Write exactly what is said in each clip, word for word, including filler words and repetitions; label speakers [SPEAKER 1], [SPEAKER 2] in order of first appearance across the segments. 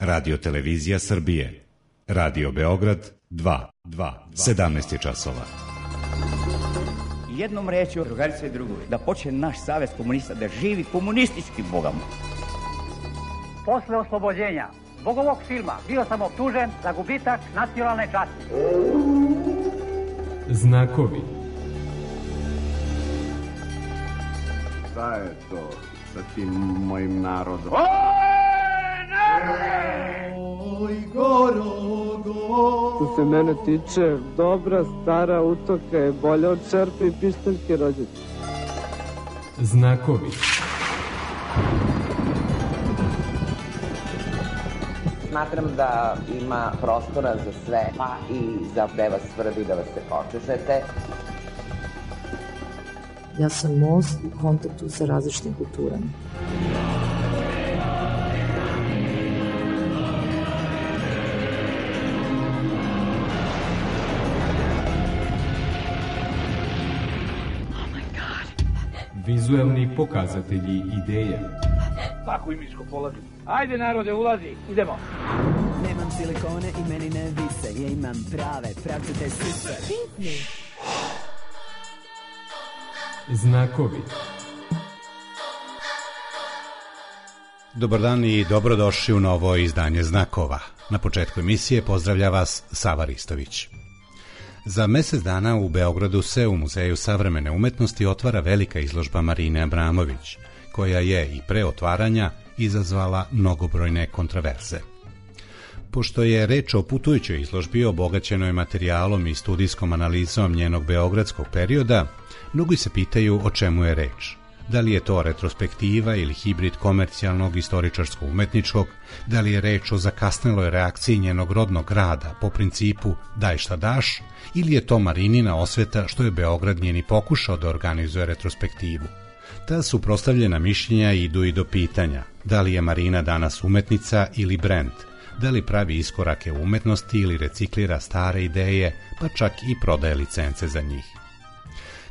[SPEAKER 1] Radio Televizija Srbije. Radio Beograd dva, sedamnaest je časova.
[SPEAKER 2] Jednom rečju, drugarice i drugovi, da počne naš savez komunista da živi komunističkim bogama.
[SPEAKER 3] Posle oslobođenja zbog ovog filma bio sam optužen za gubitak nacionalne časti.
[SPEAKER 4] Znakovi.
[SPEAKER 5] Šta je to sa tim mojim narodom?
[SPEAKER 6] Oj, Gorogo!
[SPEAKER 7] Što se mene tiče, dobra stara utoka je bolja od čerpe i pištaljke rođete.
[SPEAKER 4] Znakovi.
[SPEAKER 8] Smatram da ima prostora za sve, pa i za gde vas tvrdi da vas se počešete.
[SPEAKER 9] Ja sam most u kontaktu sa različitim kulturama.
[SPEAKER 4] Vizuelni pokazatelji ideje.
[SPEAKER 3] Tako i miško polazi. Ajde narode, ulazi, idemo.
[SPEAKER 10] Nemam silikone i meni ne vise, ja imam prave, pravcate sise.
[SPEAKER 4] Znakovi.
[SPEAKER 1] Dobar dan i dobrodošli u novo izdanje Znakova. Na početku emisije pozdravlja vas Sava Ristović. Za mesec dana u Beogradu se u Muzeju savremene umetnosti otvara velika izložba Marine Abramović, koja je i pre otvaranja izazvala mnogobrojne kontraverze. Pošto je reč o putujućoj izložbi obogaćenoj materijalom i studijskom analizom njenog beogradskog perioda, mnogi se pitaju o čemu je reč. Da li je to retrospektiva ili hibrid komercijalnog istoričarsko-umetničkog, da li je reč o zakasneloj reakciji njenog rodnog grada po principu daj šta daš, ili je to Marinina osveta što je Beograd njeni pokušao da organizuje retrospektivu. Ta suprotstavljena mišljenja idu i do pitanja da li je Marina danas umetnica ili brend, da li pravi iskorake u umetnosti ili reciklira stare ideje, pa čak i prodaje licence za njih.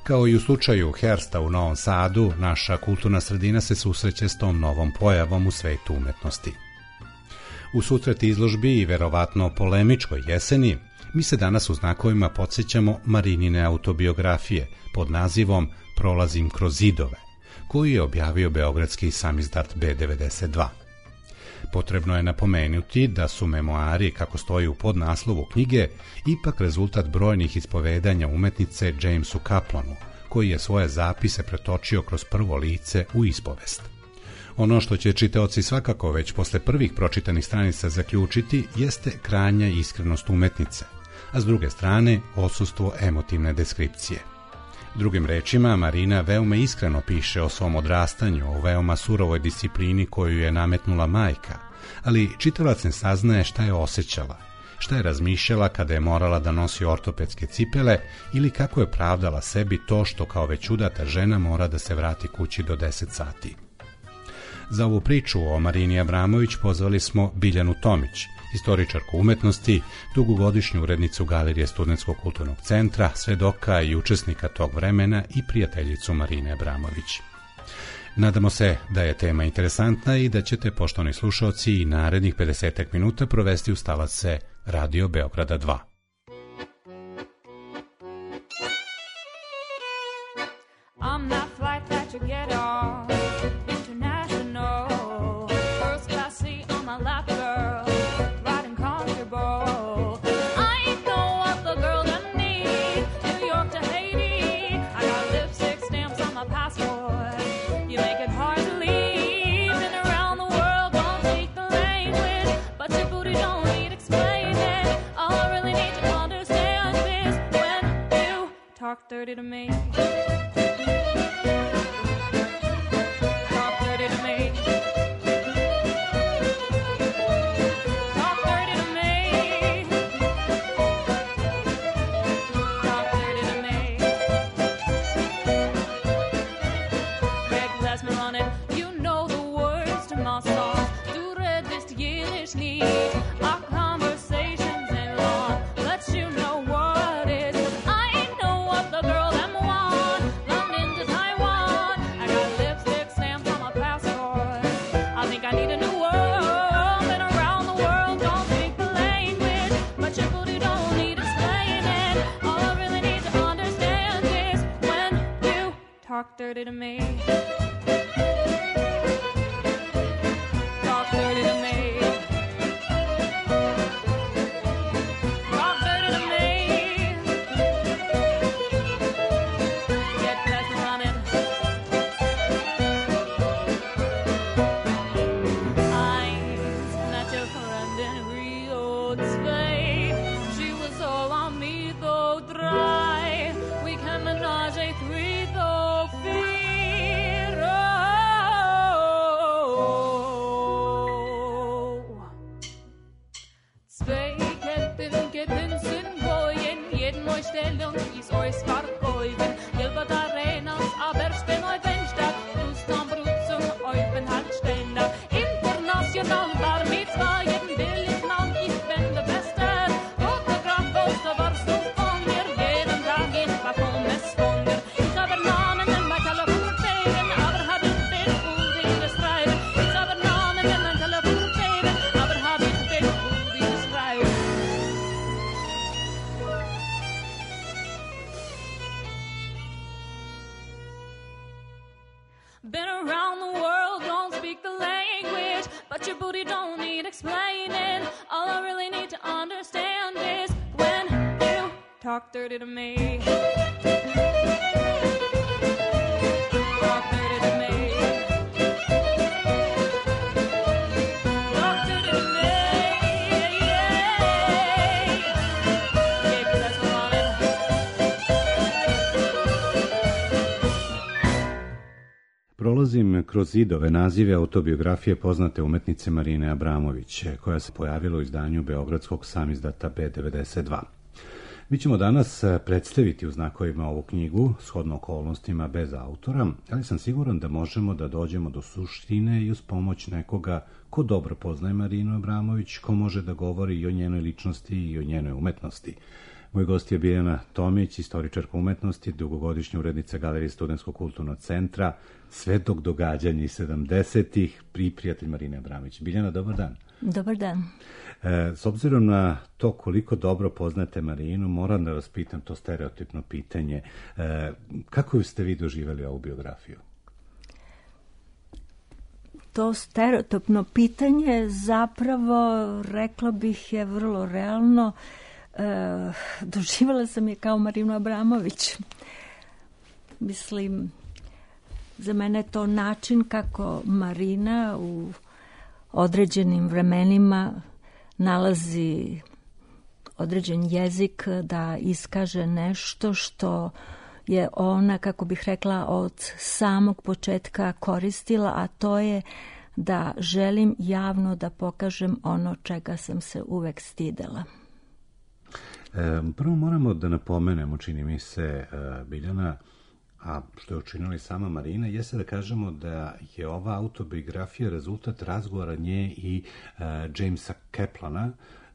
[SPEAKER 1] Kao i u slučaju Hersta u Novom Sadu, naša kulturna sredina se susreće s tom novom pojavom u svetu umetnosti. U susret izložbi i verovatno polemičkoj jeseni, mi se danas u Znakovima podsjećamo Marinine autobiografije pod nazivom Prolazim kroz zidove, koju je objavio beogradski samizdat be devedeset dva. Potrebno je napomenuti da su memoari, kako stoji u podnaslovu knjige, ipak rezultat brojnih ispovedanja umetnice Jamesu Kaplanu, koji je svoje zapise pretočio kroz prvo lice u ispovest. Ono što će čitaoci svakako već posle prvih pročitanih stranica zaključiti jeste krajnja iskrenost umetnice, a s druge strane odsustvo emotivne deskripcije. Drugim rečima, Marina veoma iskreno piše o svom odrastanju, o veoma surovoj disciplini koju je nametnula majka, ali čitalac ne saznaje šta je osjećala, šta je razmišljala kada je morala da nosi ortopedske cipele ili kako je pravdala sebi to što kao već udata žena mora da se vrati kući do deset sati. Za ovu priču o Marini Abramović pozvali smo Biljanu Tomić, istoričarku umetnosti, dugogodišnju urednicu Galerije Studentskog kulturnog centra, svedoka i učesnika tog vremena i prijateljicu Marine Abramović. Nadamo se da je tema interesantna i da ćete, poštovani slušaoci, i narednih pedesetak minuta provesti uz talace Radio Beograda dva.
[SPEAKER 11] I'm that flight that you get on, international, first class seat on my lap, girl, riding comfortable. I ain't know what the girl them need, New York to Haiti, I got lipstick stamps on my passport, you make it hard to leave, been around the world, don't speak the language, but your booty don't need explaining, all I really need to understand is when you talk dirty to me. I need a new world, been around the world. dirty to me. Talk dirty to me. Talk dirty to me. Get back running. Eyes not your friend in Rio de Spain. She was all on me though dry. We can menage a three though fear. Zwei Ketten, Ketten sind Goyen. Jeden Neustellung ist euch verkäufen. Gilbert Arenas, aber stehen euch Fenster. Lustan Brut zum Eupen Handständer. International Bar Mitzvah, jeden will ich noch, ich bin der Beste. Fotograf, Poster, warst du von mir? Jeden Tag ich war von es von dir. Ich habe Namen in mein Telefon gegeben, aber hab ich den Schuldige schreiben. Ich habe Namen in mein Telefon gegeben, aber hab ich den Schuldige schreiben. Been around the world, don't speak the language, but your booty don't need explaining. All I really need to understand is when you talk dirty to me. Talk dirty to me. Talk dirty to me. Yeah. Keep press running.
[SPEAKER 1] Prolazim kroz zidove nazive autobiografije poznate umetnice Marine Abramović, koja se pojavila u izdanju beogradskog samizdata B devedeset dva. Mi ćemo danas predstaviti u znakovima ovu knjigu, shodno okolnostima bez autora, ali sam siguran da možemo da dođemo do suštine i uz pomoć nekoga ko dobro poznaje Marinu Abramović, ko može da govori i o njenoj ličnosti i o njenoj umetnosti. Moj gost je Biljana Tomić, istoričarka umetnosti, dugogodišnja urednica Galerije Studentskog kulturnog centra, svetog događanja iz sedamdesetih, i prijatelj Marine Abramović. Biljana, dobar dan.
[SPEAKER 12] Dobar dan.
[SPEAKER 1] E, s obzirom na to koliko dobro poznate Marinu, moram da vas pitam to stereotipno pitanje. E, kako ste vi doživjeli ovu biografiju?
[SPEAKER 12] To stereotipno pitanje zapravo, rekla bih, je vrlo realno. E, doživjela sam je kao Marinu Abramović. Mislim, za mene je to način kako Marina u određenim vremenima nalazi određen jezik da iskaže nešto što je ona, kako bih rekla, od samog početka koristila, a to je da želim javno da pokažem ono čega sam se uvek stidela.
[SPEAKER 1] E, prvo moramo da napomenemo, čini mi se, e, Biljana, a što je učinila i sama Marina, jeste da kažemo da je ova autobiografija rezultat razgovora nje i e, Jamesa Kaplana,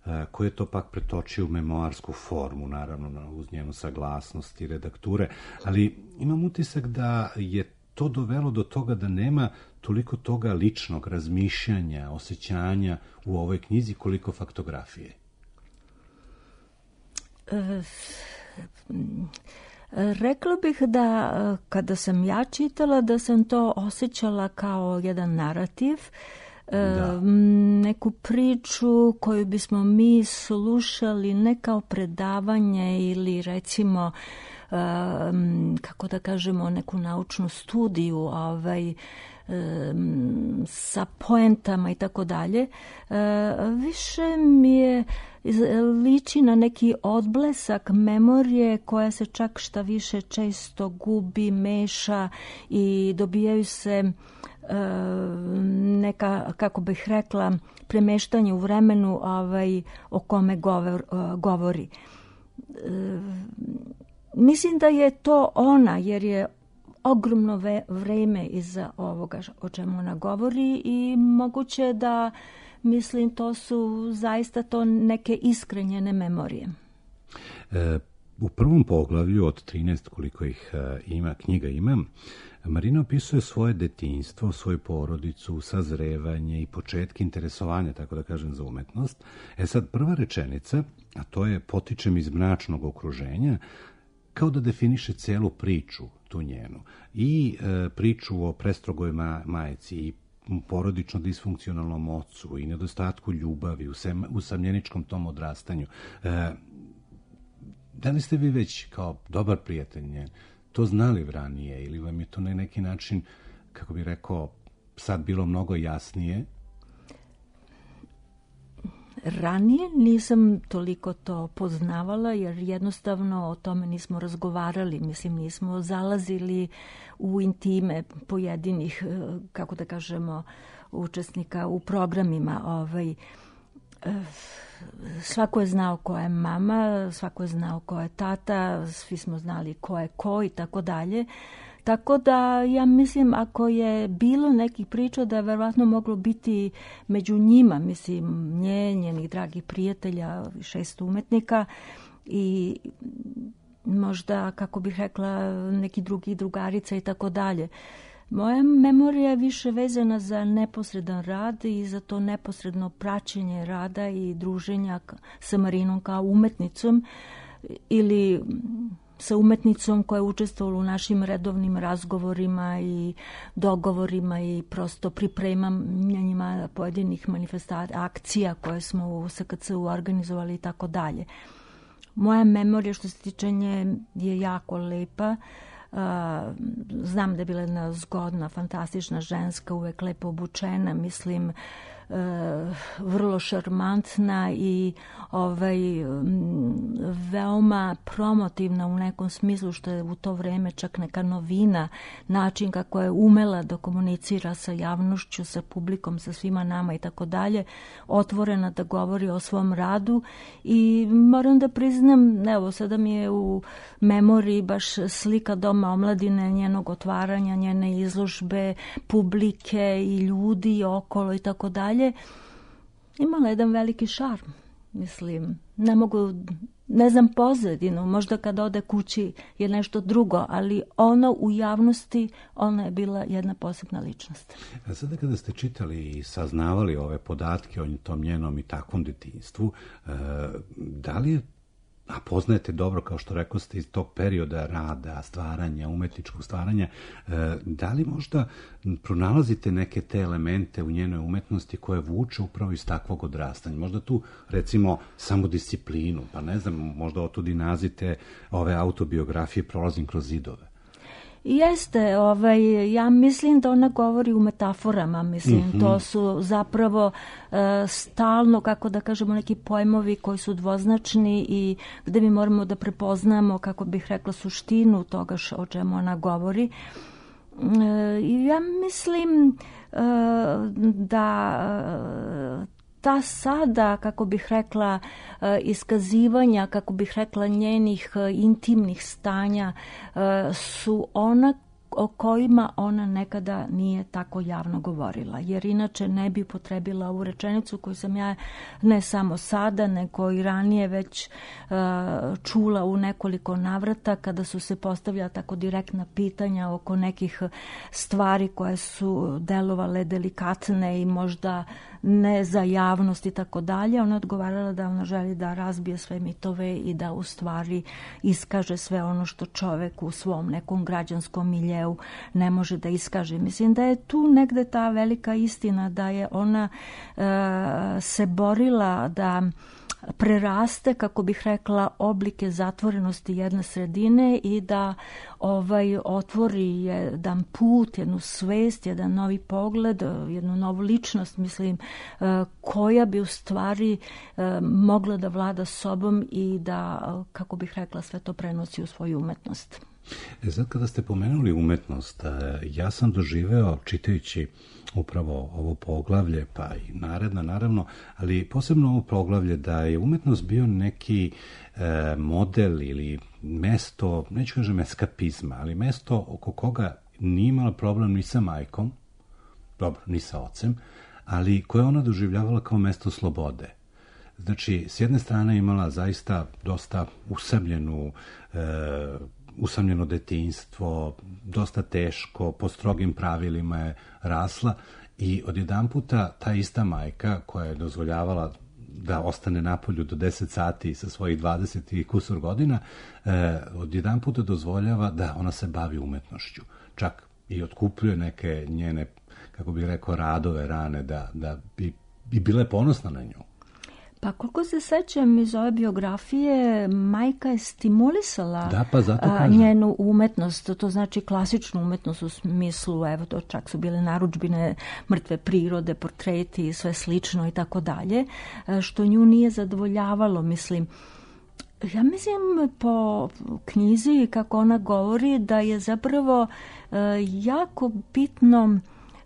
[SPEAKER 1] e, koji je to pak pretočio u memoarsku formu, naravno uz njenu saglasnost i redakture, ali imam utisak da je to dovelo do toga da nema toliko toga ličnog razmišljanja, osjećanja u ovoj knjizi koliko faktografije.
[SPEAKER 12] E, rekla bih da kada sam ja čitala da sam to osjećala kao jedan narativ, da. Neku priču koju bismo mi slušali ne kao predavanje ili recimo kako da kažemo neku naučnu studiju ovaj, sa poentama i tako dalje. Više mi je liči na neki odblesak memorije koja se čak šta više često gubi, meša i dobijaju se neka, kako bih rekla, premeštanje u vremenu ovaj, o kome govor, govori. Mislim da je to ona, jer je ogromno ve, vreme iza ovoga o čemu ona govori i moguće da, mislim, to su zaista to neke iskrenjene memorije.
[SPEAKER 1] E, u prvom poglavlju od trinaest, koliko ih e, ima, knjiga ima, Marina opisuje svoje detinjstvo, svoju porodicu, sazrevanje i početke interesovanja, tako da kažem, za umetnost. E sad, prva rečenica, a to je potičem iz mračnog okruženja, kao da definiše celu priču, tu njenu. I e, priču o prestrogoj ma, majci i porodično disfunkcionalnom ocu i nedostatku ljubavi, usamljeničkom tom odrastanju. E, da li ste vi već kao dobar prijatelj njen to znali ranije ili vam je to na neki način, kako bih rekao, sad bilo mnogo jasnije?
[SPEAKER 12] Ranije nisam toliko to poznavala jer jednostavno o tome nismo razgovarali, mislim nismo zalazili u intime pojedinih, kako da kažemo, učesnika u programima. Ovaj, svako je znao ko je mama, svako je znao ko je tata, svi smo znali ko je ko i tako dalje. Tako da ja mislim ako je bilo nekih priča da je verovatno moglo biti među njima, mislim nje, njenih dragih prijatelja, šest umetnika i možda, kako bih rekla, neki drugi drugarica i tako dalje. Moja memorija je više vezana za neposredan rad i za to neposredno praćenje rada i druženja sa Marinom kao umetnicom ili sa umetnicom koja je učestvovala u našim redovnim razgovorima i dogovorima i prosto pripremanjima pojedinih manifestacija, akcija koje smo u S K C-u organizovali i tako dalje. Moja memorija što se tiče nje je jako lepa. Uh, znam da je bila jedna zgodna, fantastična ženska, uvek lepo obučena, mislim, uh, vrlo šarmantna i ovaj, veoma promotivna u nekom smislu, što je u to vreme čak neka novina, način kako je umela da komunicira sa javnošću, sa publikom, sa svima nama i tako dalje, otvorena da govori o svom radu i moram da priznam, evo sada mi je u memoriji baš slika Doma omladine, njenog otvaranja, njene izložbe, publike i ljudi okolo i tako dalje. Imala jedan veliki šarm, mislim, ne mogu, ne znam pozadinu, možda kad ode kući je nešto drugo, ali ono u javnosti, ona je bila jedna posebna ličnost.
[SPEAKER 1] A sada kada ste čitali i saznavali ove podatke o tom njenom i takvom detinjstvu, da li je, a poznajete dobro, kao što rekao ste, iz tog perioda rada, stvaranja, umetničkog stvaranja, da li možda pronalazite neke te elemente u njenoj umetnosti koje vuče upravo iz takvog odrastanja? Možda tu, recimo, samodisciplinu, pa ne znam, možda otud i nazite ove autobiografije Prolazim kroz zidove.
[SPEAKER 12] Jeste, ovaj, ja mislim da ona govori u metaforama, mislim, mm-hmm. to su zapravo e, stalno, kako da kažemo, neki pojmovi koji su dvoznačni i gde mi moramo da prepoznamo, kako bih rekla, suštinu toga š, o čemu ona govori. E, ja mislim e, da ta sada, kako bih rekla, iskazivanja, kako bih rekla, njenih intimnih stanja su ona o kojima ona nekada nije tako javno govorila, jer inače ne bi upotrebila ovu rečenicu koju sam ja ne samo sada, nego i ranije već uh, čula u nekoliko navrata kada su se postavljala tako direktna pitanja oko nekih stvari koje su delovale delikatne i možda ne za javnost i tako dalje. Ona odgovarala da ona želi da razbije sve mitove i da u stvari iskaže sve ono što čovek u svom nekom građanskom miljeu ne može da iskaže. Mislim da je tu negde ta velika istina da je ona e, se borila da preraste, kako bih rekla, oblike zatvorenosti jedne sredine i da ovaj otvori jedan put, jednu svest, jedan novi pogled, jednu novu ličnost, mislim, koja bi u stvari mogla da vlada sobom i da, kako bih rekla, sve to prenosi u svoju umetnost.
[SPEAKER 1] E sad kada ste pomenuli umetnost, ja sam doživeo čitajući upravo ovo poglavlje, pa i naredna naravno, ali posebno ovo poglavlje da je umetnost bio neki e, model ili mesto, neću kažem eskapizma, ali mesto oko koga nije imala problem ni sa majkom, dobro, ni sa ocem, ali koje ona doživljavala kao mesto slobode. Znači, s jedne strane imala zaista dosta usamljenu e, usamljeno detinjstvo, dosta teško, po strogim pravilima je rasla i odjedanputa ta ista majka koja je dozvoljavala da ostane napolju do deset sati sa svojih dvadeset i kusur godina, e, odjedan puta dozvoljava da ona se bavi umetnošću. Čak i otkupljuje neke njene, kako bih rekao, radove rane, da, da bi, bi bile ponosna na nju.
[SPEAKER 12] Pa koliko se sećam iz ove biografije, majka je stimulisala
[SPEAKER 1] da, pa zato
[SPEAKER 12] a, njenu umetnost, to znači klasičnu umetnost u smislu, evo to čak su bile narudžbine mrtve prirode, portreti i sve slično i tako dalje, što nju nije zadovoljavalo, mislim. Ja mislim po knjizi kako ona govori da je zapravo e, jako bitno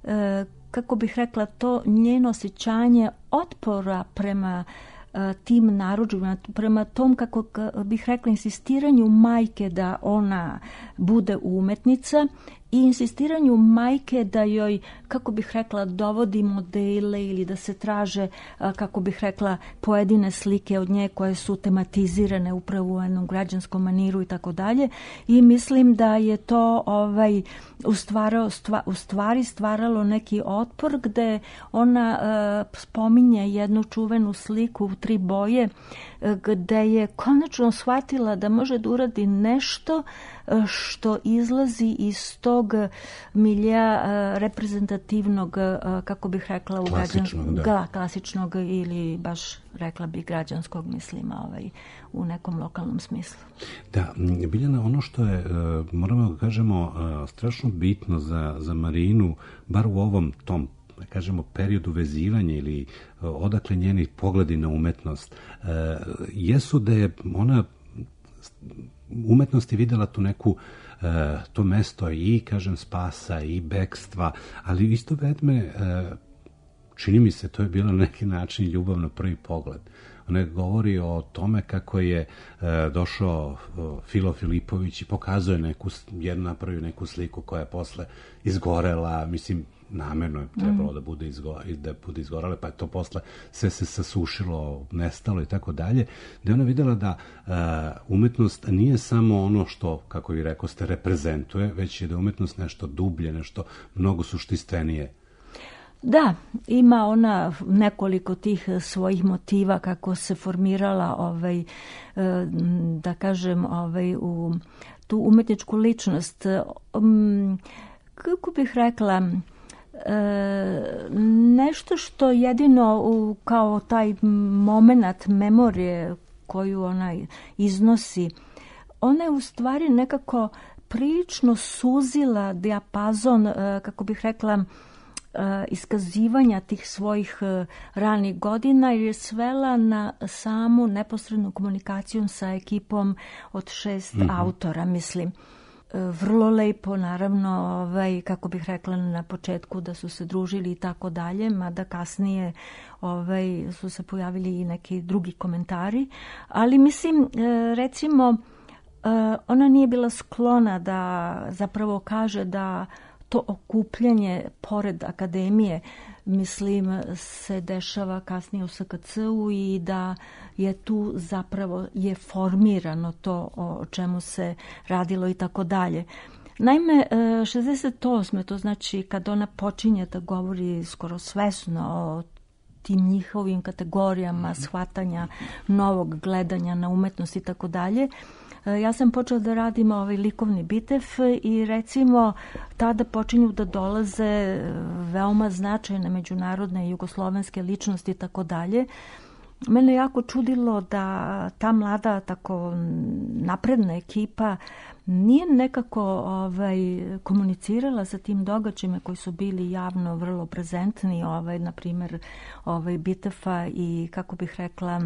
[SPEAKER 12] e, kako bih rekla, to njeno osjećanje otpora prema uh, tim narudžbima, prema tom, kako bih rekla, insistiranju majke da ona bude umetnica i insistiranju majke da joj, kako bih rekla, dovodi modele ili da se traže, uh, kako bih rekla, pojedine slike od nje koje su tematizirane upravo u jednom građanskom maniru i tako dalje. I mislim da je to ovaj, u, stvarao, stva, u stvari stvaralo neki otpor gde ona uh, spominje jednu čuvenu sliku u tri boje uh, gde je konačno shvatila da može da uradi nešto uh, što izlazi iz tog milija uh, reprezentativnog, uh, kako bih rekla, u
[SPEAKER 1] klasičnog,
[SPEAKER 12] građan,
[SPEAKER 1] da.
[SPEAKER 12] ga, klasičnog ili baš rekla bih građanskog, mislim, ovaj, u nekom lokalnom smislu.
[SPEAKER 1] Da, Biljana, ono što je, moramo da kažemo, strašno bitno za, za Marinu, bar u ovom tom, da kažemo, periodu vezivanja ili odakle njeni pogledi na umetnost, jesu da je ona umetnosti videla tu neku to mesto i, kažem, spasa i bekstva, ali isto vedme, čini mi se, to je bilo na neki način ljubav na prvi pogled. Ona govori o tome kako je e, došao Filo Filipović i pokazuje neku, jednu napravio neku sliku koja je posle izgorela, mislim, namerno je trebalo mm. da bude, izgo, da bude izgorela, pa je to posle sve se sasušilo, nestalo i tako dalje, da je ona videla da e, umetnost nije samo ono što, kako vi rekao ste, reprezentuje, već je da je umetnost nešto dublje, nešto mnogo suštistvenije.
[SPEAKER 12] Da, ima ona nekoliko tih svojih motiva kako se formirala, ovaj, da kažem, ovaj, u tu umetničku ličnost. Kako bih rekla, nešto što jedino kao taj moment memorije koju ona iznosi, ona je u stvari nekako prilično suzila dijapazon, kako bih rekla, iskazivanja tih svojih ranih godina, jer je svela na samu neposrednu komunikaciju sa ekipom od šest mm-hmm. autora, mislim. Vrlo lepo, naravno, ovaj, kako bih rekla na početku, da su se družili i tako dalje, mada kasnije ovaj, su se pojavili i neki drugi komentari, ali mislim, recimo, ona nije bila sklona da zapravo kaže da to okupljanje pored akademije, mislim, se dešava kasnije u S K C-u i da je tu zapravo je formirano to o čemu se radilo i tako dalje. Naime, šezdeset osme to znači kad ona počinje da govori skoro svesno o tim njihovim kategorijama shvatanja novog gledanja na umetnost i tako dalje, ja sam počela da radim ovaj likovni bitev i recimo tada počinju da dolaze veoma značajne međunarodne jugoslovenske ličnosti i tako dalje. Mene jako čudilo da ta mlada, tako napredna ekipa nije nekako ovaj, komunicirala sa tim događajima koji su bili javno vrlo prezentni, ovaj, na primjer ovaj, bitefa i, kako bih rekla,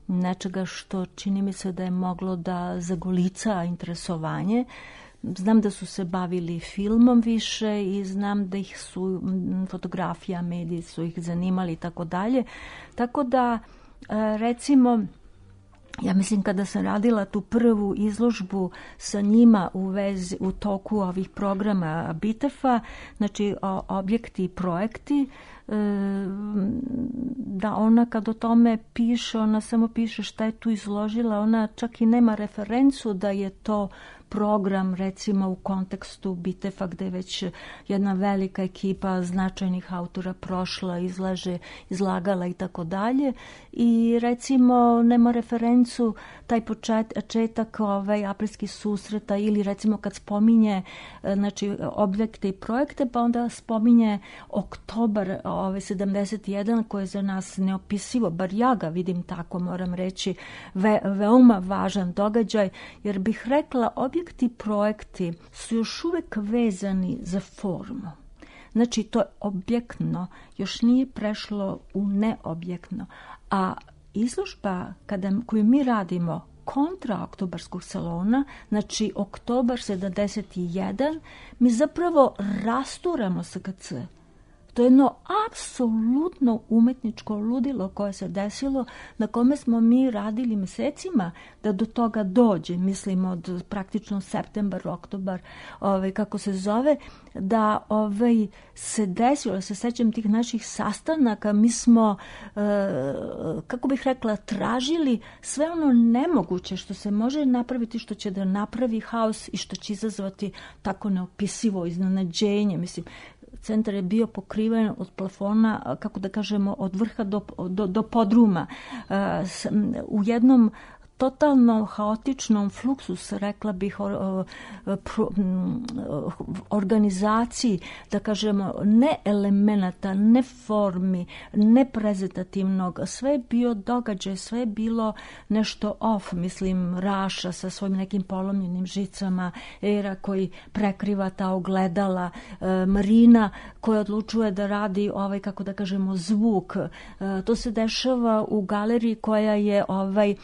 [SPEAKER 12] nečega što čini mi se da je moglo da zagolica interesovanje. Znam da su se bavili filmom više i znam da ih su fotografija, mediji su ih zanimali i tako dalje. Tako da, recimo, ja mislim kada sam radila tu prvu izložbu sa njima u vezi, u toku ovih programa Bitefa, znači objekti i projekti, da ona kad o tome piše, ona samo piše šta je tu izložila, ona čak i nema referencu da je to program, recimo u kontekstu Bitefa, gde je već jedna velika ekipa značajnih autora prošla, izlaže, izlagala i tako dalje. I recimo nema referencu taj početak ovaj, aprilskih susreta ili recimo kad spominje znači, objekte i projekte, pa onda spominje oktobar ovaj, sedamdeset jedan koji je za nas neopisivo, bar ja ga vidim tako, moram reći, ve, veoma važan događaj, jer bih rekla objekti i projekti su još uvek vezani za formu. Znači to je objektno, još nije prešlo u neobjektno, a izložba kada, koju mi radimo kontra oktobarskog salona, znači oktobar sedamdeset jedan, mi zapravo rasturamo S K C. To je jedno apsolutno umetničko ludilo koje se desilo, na kome smo mi radili mesecima da do toga dođe, mislim od praktično septembar, oktobar, ovaj, kako se zove, da ovaj, se desilo, se sećam tih naših sastanaka, mi smo, e, kako bih rekla, tražili sve ono nemoguće što se može napraviti, što će da napravi haos i što će izazvati tako neopisivo iznenađenje, mislim. Centar je bio pokriven od plafona, kako da kažemo, od vrha do, do, do podruma. U jednom totalno haotičnom fluksus, rekla bih, or, or, pro, organizaciji, da kažemo, ne elemenata, ne formi, ne prezentativnog, sve je bio događaj, sve je bilo nešto off, mislim, Raša sa svojim nekim polomljenim žicama, Era koji prekriva ta ogledala, Marina koja odlučuje da radi ovaj, kako da kažemo, zvuk. To se dešava u galeriji koja je ovaj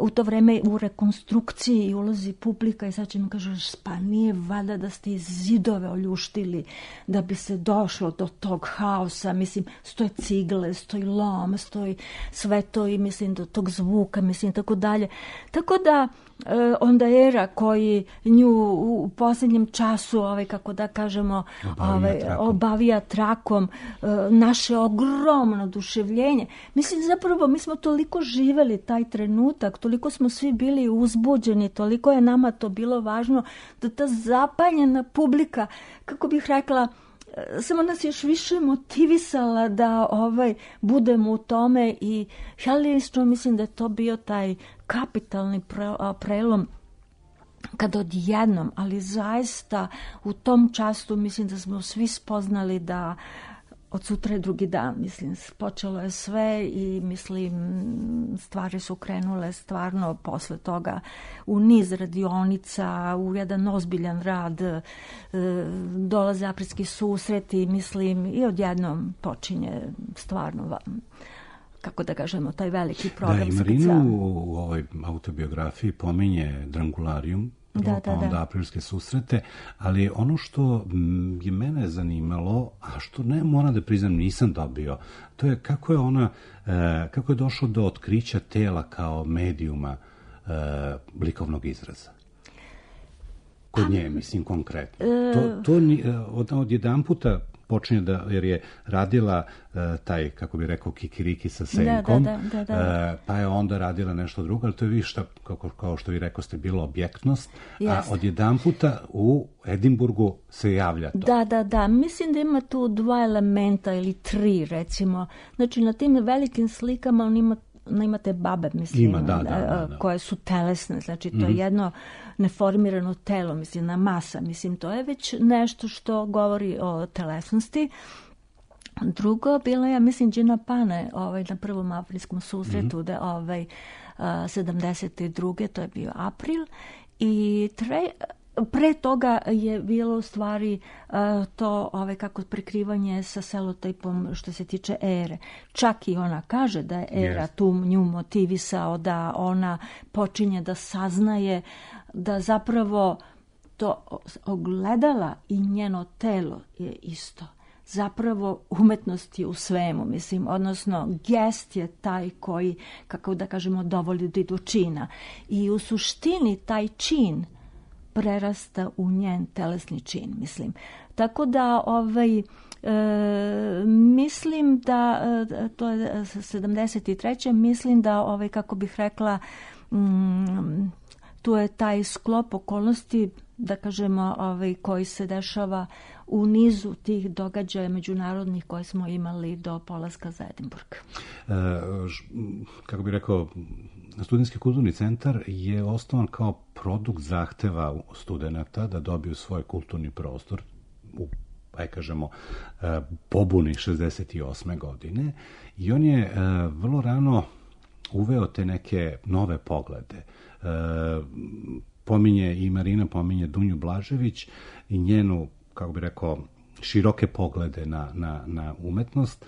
[SPEAKER 12] u to vreme u rekonstrukciji i ulazi publika i sad će mi kažeš, pa nije valjda da ste iz zidove oljuštili da bi se došlo do tog haosa, mislim, stoje cigle, stoji lom, stoji sve to i mislim do tog zvuka, mislim, tako dalje. Tako da onda Era koji nju u posljednjem času, ovaj, kako da kažemo,
[SPEAKER 1] obavija,
[SPEAKER 12] ovaj,
[SPEAKER 1] trakom.
[SPEAKER 12] obavija trakom naše ogromno oduševljenje. Mislim, zapravo, mi smo toliko živeli taj trenutak, toliko smo svi bili uzbuđeni, toliko je nama to bilo važno, da ta zapanjena publika, kako bih rekla, samo nas još više motivisala da ovaj budemo u tome i ja lično mislim da je to bio taj kapitalni pre, prelom kad odjednom, ali zaista u tom času mislim da smo svi spoznali da od sutra je drugi dan, mislim, počelo je sve i mislim stvari su krenule stvarno posle toga u niz radionica, u jedan ozbiljan rad, e, dolaze aprilski susreti, mislim, i odjednom počinje stvarno, kako da kažemo, taj veliki program.
[SPEAKER 1] Da, i Marina u, u ovoj autobiografiji pominje Drangularijum,
[SPEAKER 12] Da,
[SPEAKER 1] pa
[SPEAKER 12] da,
[SPEAKER 1] onda
[SPEAKER 12] da.
[SPEAKER 1] aprilske susrete, ali ono što je mene zanimalo, a što ne moram da priznam nisam dobio, to je kako je ona, kako je došlo do otkrića tela kao medijuma likovnog izraza. Kod nje, mislim, konkretno. To, to od, od jedan puta počinje da, jer je radila uh, taj, kako bi rekao, kikiriki sa senkom,
[SPEAKER 12] da, da, da, da.
[SPEAKER 1] Uh, pa je onda radila nešto drugo, ali to je više, šta, kako, kao što vi rekao ste, bilo objektnost,
[SPEAKER 12] Yes.
[SPEAKER 1] a od jedan puta u Edinburgu se javlja to.
[SPEAKER 12] Da, da, da, mislim da ima tu dva elementa ili tri, recimo. Znači, na tim velikim slikama on ima imate babe, mislim,
[SPEAKER 1] Ima, da, da, da, da.
[SPEAKER 12] koje su telesne, znači to
[SPEAKER 1] mm-hmm.
[SPEAKER 12] je jedno neformirano telo, mislim, na masa, mislim, to je već nešto što govori o telesnosti. Drugo, bila je, ja mislim, Gina Pane ovaj, na prvom aprilskom susretu, mm-hmm. da ovaj, sedamdeset druge to je bio april, i tre, pre toga je bilo u stvari uh, to ovaj, kako prekrivanje sa selotejpom što se tiče Ere. Čak i ona kaže da je Era yes. tu nju motivisao, da ona počinje da saznaje da zapravo to ogledala i njeno telo je isto. Zapravo umetnost je u svemu, mislim, odnosno gest je taj koji, kako da kažemo, dovodi do čina. I u suštini taj čin prerasta u njen telesni čin, mislim. Tako da, ovaj, e, mislim da, e, to je sedamdeset treće mislim da, ovaj, kako bih rekla, mm, tu je taj sklop okolnosti, da kažemo, ovaj, koji se dešava u nizu tih događaja međunarodnih koje smo imali do polaska za Edinburgh.
[SPEAKER 1] E, kako bih rekao, Studentski kulturni centar je osnovan kao produkt zahteva studenta da dobiju svoj kulturni prostor u, aj kažemo, pobuni šezdeset osme godine i on je vrlo rano uveo te neke nove poglede. Pominje i Marina, pominje Dunju Blažević i njenu, kako bih rekao, široke poglede na, na, na umetnost.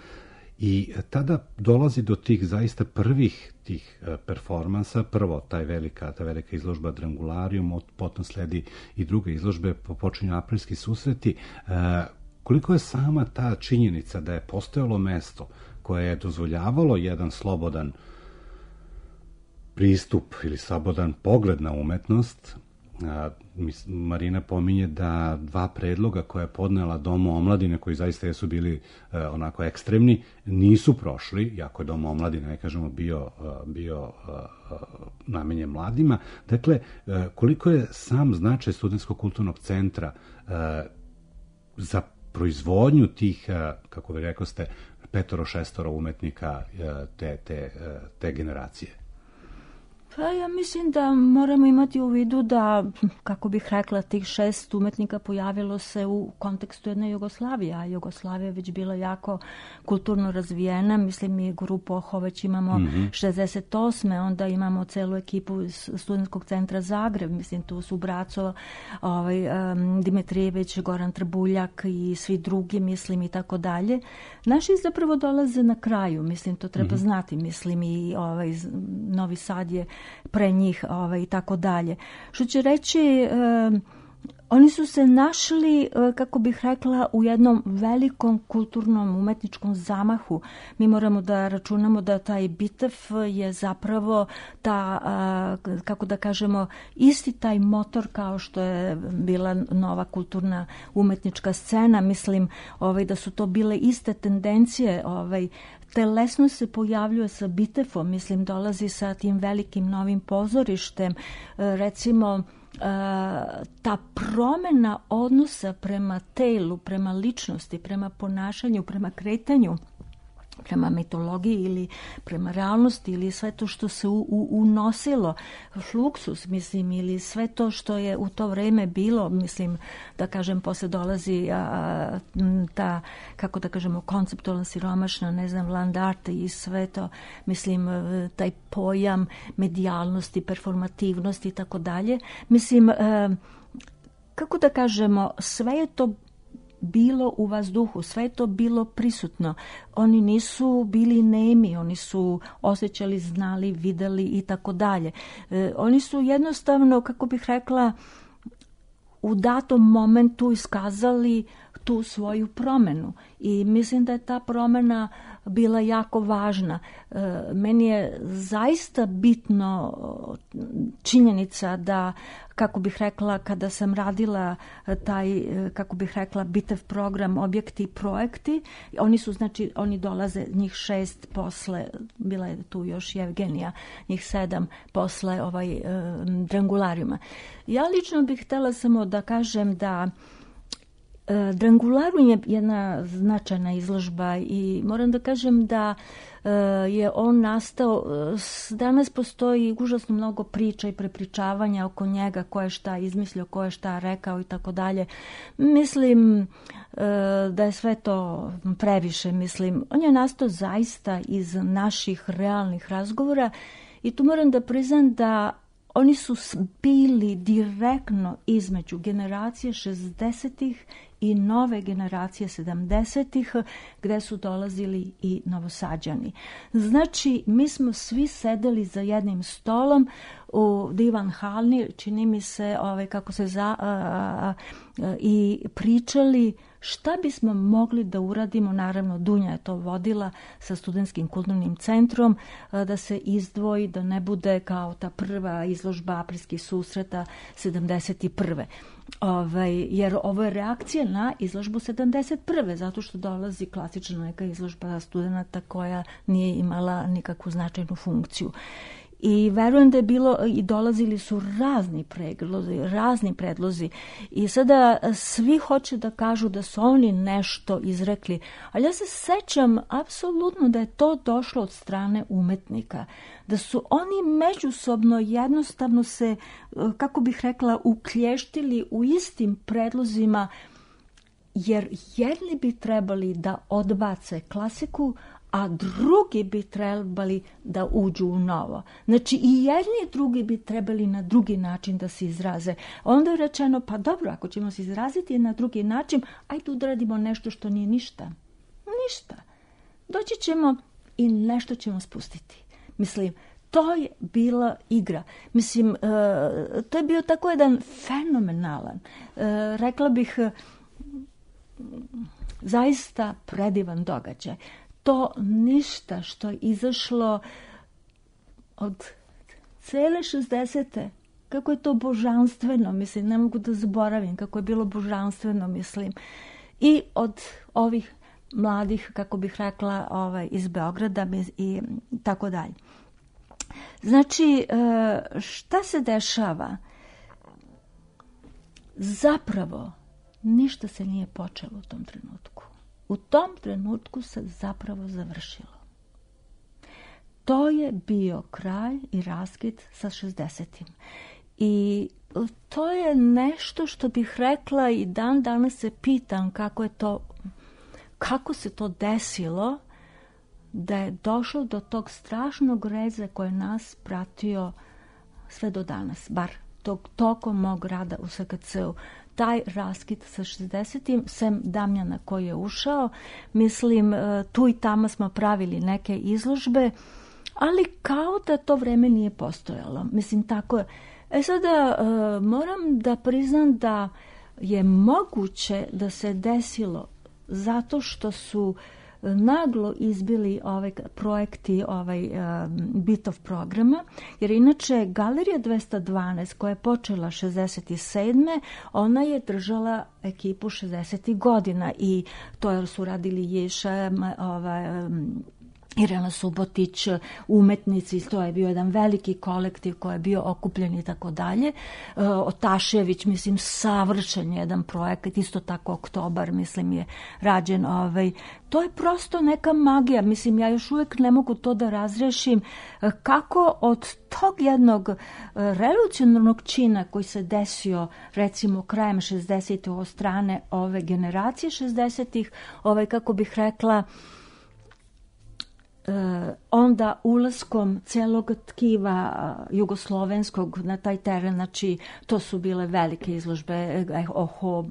[SPEAKER 1] I tada dolazi do tih zaista prvih tih performansa, prvo taj velika, ta velika izložba Drangularium, potom sledi i druge izložbe, počinju aprilski susreti. E, koliko je sama ta činjenica da je postojalo mesto koje je dozvoljavalo jedan slobodan pristup ili slobodan pogled na umetnost. A, Marina pominje da dva predloga koje je podnela Dom omladine, koji zaista jesu bili e, onako ekstremni, nisu prošli, iako je Dom omladine, ne kažemo, bio, bio e, namenjen mladima. Dakle, e, koliko je sam značaj Studentskog kulturnog centra e, za proizvodnju tih, e, kako vi rekao ste, petoro, šestoro umetnika e, te, te, te generacije?
[SPEAKER 12] Pa ja mislim da moramo imati u vidu da, kako bih rekla, tih šest umetnika pojavilo se u kontekstu jedne Jugoslavije, a Jugoslavija je već bila jako kulturno razvijena. Mislim, mi grupu Oho već imamo mm-hmm. šezdeset osme onda imamo celu ekipu iz Studentskog centra Zagreb, mislim, tu su Braco, ovaj, um, Dimitrijević, Goran Trbuljak i svi drugi, mislim, i tako dalje. Naši zapravo dolaze na kraju, mislim, to treba mm-hmm. znati, mislim, i ovaj, Novi Sad je pre njih, ovaj, i tako dalje. Što će reći, eh, oni su se našli, eh, kako bih rekla, u jednom velikom kulturnom umetničkom zamahu. Mi moramo da računamo da taj Bitev je zapravo ta, eh, kako da kažemo, isti taj motor kao što je bila nova kulturna umetnička scena. Mislim, ovaj, da su to bile iste tendencije, ovaj, telesno se pojavljuje sa Bitefom, mislim, dolazi sa tim velikim novim pozorištem. Recimo, ta promjena odnosa prema telu, prema ličnosti, prema ponašanju, prema kretanju, prema mitologiji ili prema realnosti ili sve to što se u, u, unosilo, fluksus, mislim, ili sve to što je u to vreme bilo, mislim, da kažem, posle dolazi a, ta, kako da kažemo, konceptualna siromašna, ne znam, land art i sve to, mislim, taj pojam medijalnosti, performativnosti i tako dalje. Mislim, a, kako da kažemo, sve je to bilo u vazduhu, sve je to bilo prisutno. Oni nisu bili nemi, oni su osjećali, znali, videli i tako dalje. Oni su jednostavno, kako bih rekla, u datom momentu iskazali tu svoju promenu i mislim da je ta promena bila jako važna. Meni je zaista bitno činjenica da, kako bih rekla, kada sam radila taj, kako bih rekla, Bitev program, objekti i projekti, oni su, znači, oni dolaze, njih šest posle, bila je tu još Evgenija, njih sedam posle ovaj, Drangulariuma. Ja lično bih htjela samo da kažem da Drangularium je jedna značajna izložba i moram da kažem da je on nastao, danas postoji užasno mnogo priča i prepričavanja oko njega, ko je šta izmislio, ko je šta rekao i tako dalje. Mislim da je sve to previše, mislim. On je nastao zaista iz naših realnih razgovora i tu moram da priznam da oni su bili direktno između generacije šezdesetih i nove generacije sedamdesetih, gde su dolazili i Novosađani. Znači, mi smo svi sedeli za jednim stolom u divan halni, čini mi se, ovaj, kako se za, a, a, a, i pričali šta bismo mogli da uradimo. Naravno, Dunja je to vodila sa Studentskim kulturnim centrom, da se izdvoji, da ne bude kao ta prva izložba aprilskih susreta sedamdeset prve. Ovaj, jer ovo je reakcija na izložbu sedamdeset prve, zato što dolazi klasična neka izložba studenta koja nije imala nikakvu značajnu funkciju. I verujem da je bilo, i dolazili su razni predlozi, razni predlozi i sada svi hoće da kažu da su oni nešto izrekli, ali ja se sećam apsolutno da je to došlo od strane umetnika, da su oni međusobno jednostavno se, kako bih rekla, uklještili u istim predlozima, jer jedni bi trebali da odbace klasiku, a drugi bi trebali da uđu u novo. Znači i jedni i drugi bi trebali na drugi način da se izraze. Onda je rečeno, pa dobro, ako ćemo se izraziti na drugi način, ajde udradimo nešto što nije ništa. Ništa. Doći ćemo i nešto ćemo spustiti. Mislim, to je bila igra. Mislim, to je bio tako jedan fenomenalan, rekla bih, zaista predivan događaj. To ništa što je izašlo od cele šezdesete, kako je to božanstveno, mislim, ne mogu da zaboravim kako je bilo božanstveno, mislim, i od ovih mladih, kako bih rekla, ovaj, iz Beograda i tako dalje. Znači, šta se dešava? Zapravo, ništa se nije počelo u tom trenutku. U tom trenutku se zapravo završilo. To je bio kraj i raskid sa šezdesetim. I to je nešto što bih rekla i dan danas se pitam kako je to, kako se to desilo da je došlo do tog strašnog reza koji je nas pratio sve do danas, bar tog tokom mog rada u S K C-u. Taj raskid sa šezdesetim, sem Damjana koji je ušao, mislim, tu i tamo smo pravili neke izložbe, ali kao da to vreme nije postojalo. Mislim, tako je. E sada, moram da priznam da je moguće da se desilo zato što su naglo izbili ovaj projekti ovaj uh, Bitov programa, jer inače Galerija dvesta dvanaest koja je počela šezdeset sedme ona je držala ekipu šezdesetih godina i to su radili Ješa, ovaj, um, Irena Subotić, umetnici, to je bio jedan veliki kolektiv koji je bio okupljen i tako dalje. Otašević, mislim, savršen jedan projekat, isto tako Oktobar, mislim, je rađen. Ovaj. To je prosto neka magija, mislim, ja još uvijek ne mogu to da razrešim kako od tog jednog revolucionarnog čina koji se desio, recimo, krajem šezdesetih od strane ove generacije šezdesetih, ovaj, kako bih rekla, onda ulaskom celog tkiva jugoslovenskog na taj teren, znači to su bile velike izložbe, Oho,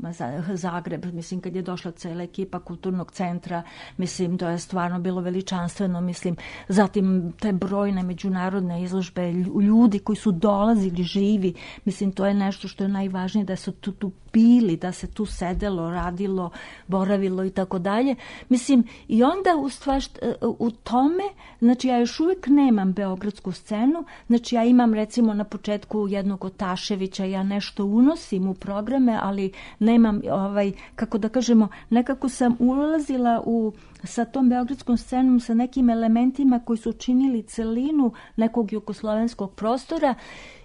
[SPEAKER 12] Zagreb, mislim, kad je došla cela ekipa kulturnog centra, mislim, to je stvarno bilo veličanstveno, mislim, zatim te brojne međunarodne izložbe, ljudi koji su dolazili živi, mislim, to je nešto što je najvažnije, da su tu, tu bili, da se tu sedelo, radilo, boravilo i tako dalje. Mislim, i onda u stvar, u tome, znači ja još uvijek nemam beogradsku scenu, znači ja imam recimo na početku jednog Otaševića, ja nešto unosim u programe, ali nemam, ovaj, kako da kažemo, nekako sam ulazila u, sa tom beogradskom scenom, sa nekim elementima koji su činili celinu nekog jugoslovenskog prostora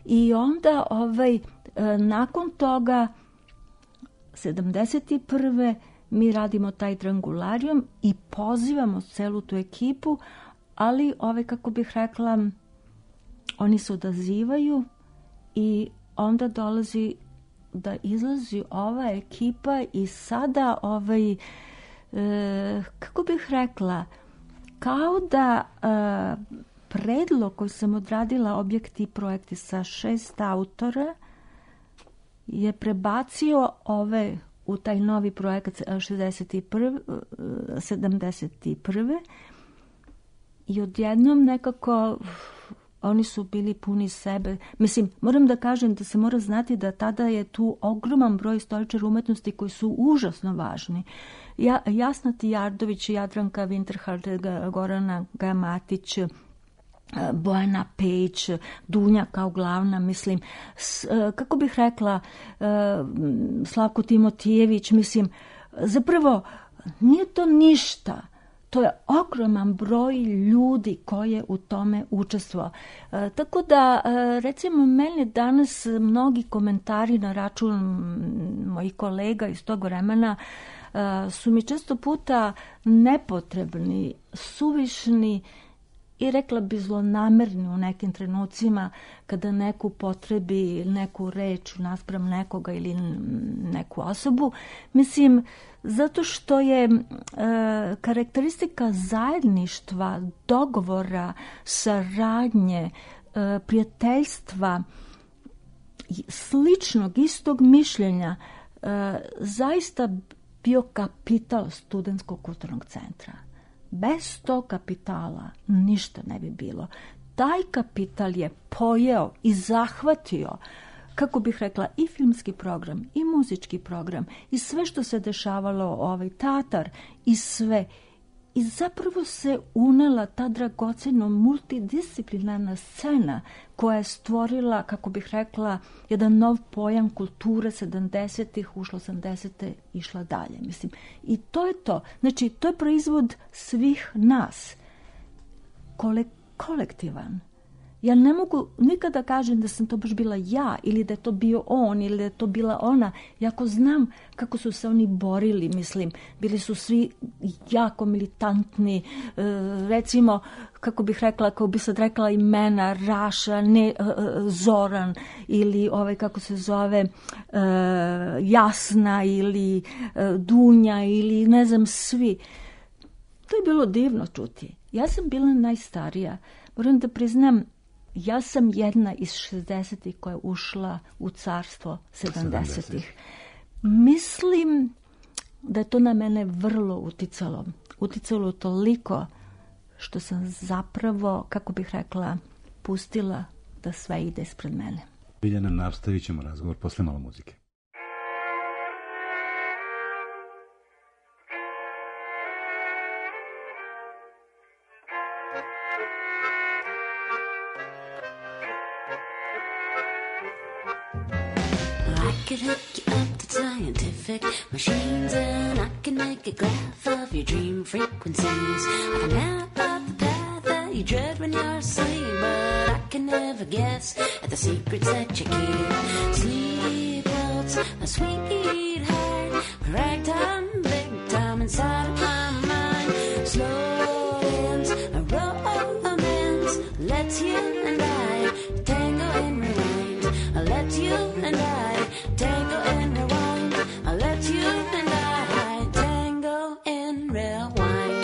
[SPEAKER 12] i onda ovaj, nakon toga sedamdeset prve mi radimo taj Drangularijum i pozivamo celu tu ekipu, ali ove, kako bih rekla, oni se odazivaju i onda dolazi da izlazi ova ekipa i sada ovaj, e, kako bih rekla, kao da e, predlog koji sam odradila objekti i projekti sa šest autora je prebacio ove u taj novi projekat šezdeset prve, sedamdeset prve i odjednom nekako oni su bili puni sebe. Mislim, moram da kažem da se mora znati da tada je tu ogroman broj istoričara umetnosti koji su užasno važni. Ja, Jasna Tijardović, Jadranka Winterhard, Gorana Gamatić, Bojana Peć, Dunja kao glavna, mislim, s, kako bih rekla, Slavko Timotijević, mislim, zapravo nije to ništa. to je ogroman broj ljudi koji je u tome učestvovao. E, tako da, e, recimo, meni danas mnogi komentari na račun mojih kolega iz tog vremena e, su mi često puta nepotrebni, suvišni i rekla bi zlonamerni u nekim trenucima kada neku potrebi, neku reč naspram nekoga ili neku osobu. Mislim, zato što je e, karakteristika zajedništva, dogovora, saradnje, e, prijateljstva, sličnog, istog mišljenja, e, zaista bio kapital Studentskog kulturnog centra. Bez tog kapitala ništa ne bi bilo. Taj kapital je pojeo i zahvatio, kako bih rekla, i filmski program, i muzički program, i sve što se dešavalo, ovaj teatar, i sve. I zapravo se unela ta dragoceno multidisciplinarna scena koja je stvorila, kako bih rekla, jedan nov pojam kulture sedamdesetih, ušla osamdesete, išla dalje. Mislim. I to je to. Znači, to je proizvod svih nas. Kole, kolektivan. Ja ne mogu nikada kažem da sam to baš bila ja ili da je to bio on ili da je to bila ona. Jako znam kako su se oni borili, mislim. Bili su svi jako militantni. E, recimo, kako bih rekla, kako bi sad rekla imena, Raša, ne, e, Zoran ili ovaj, kako se zove, e, Jasna ili e, Dunja ili ne znam, svi. To je bilo divno čuti. Ja sam bila najstarija. Moram da priznam, ja sam jedna iz šezdesetih koja je ušla u carstvo sedamdesetih. Mislim da je to na mene vrlo uticalo. Uticalo toliko što sam zapravo, kako bih rekla, pustila da sve ide ispred mene.
[SPEAKER 1] Biljana, nastavit ćemo razgovor posle malo muzike.
[SPEAKER 13] I could hook you up to scientific machines, and I can make a graph of your dream frequencies. I can map out the path that you dread when you're asleep, but I can never guess at the secrets that you keep. Sleep waltz, my sweetheart, ragtime, big time inside of my mind. Slow dance, a romance, let's you and I tango and rewind. Let's you and I tango and rewind. I'll let you and I tango and rewind.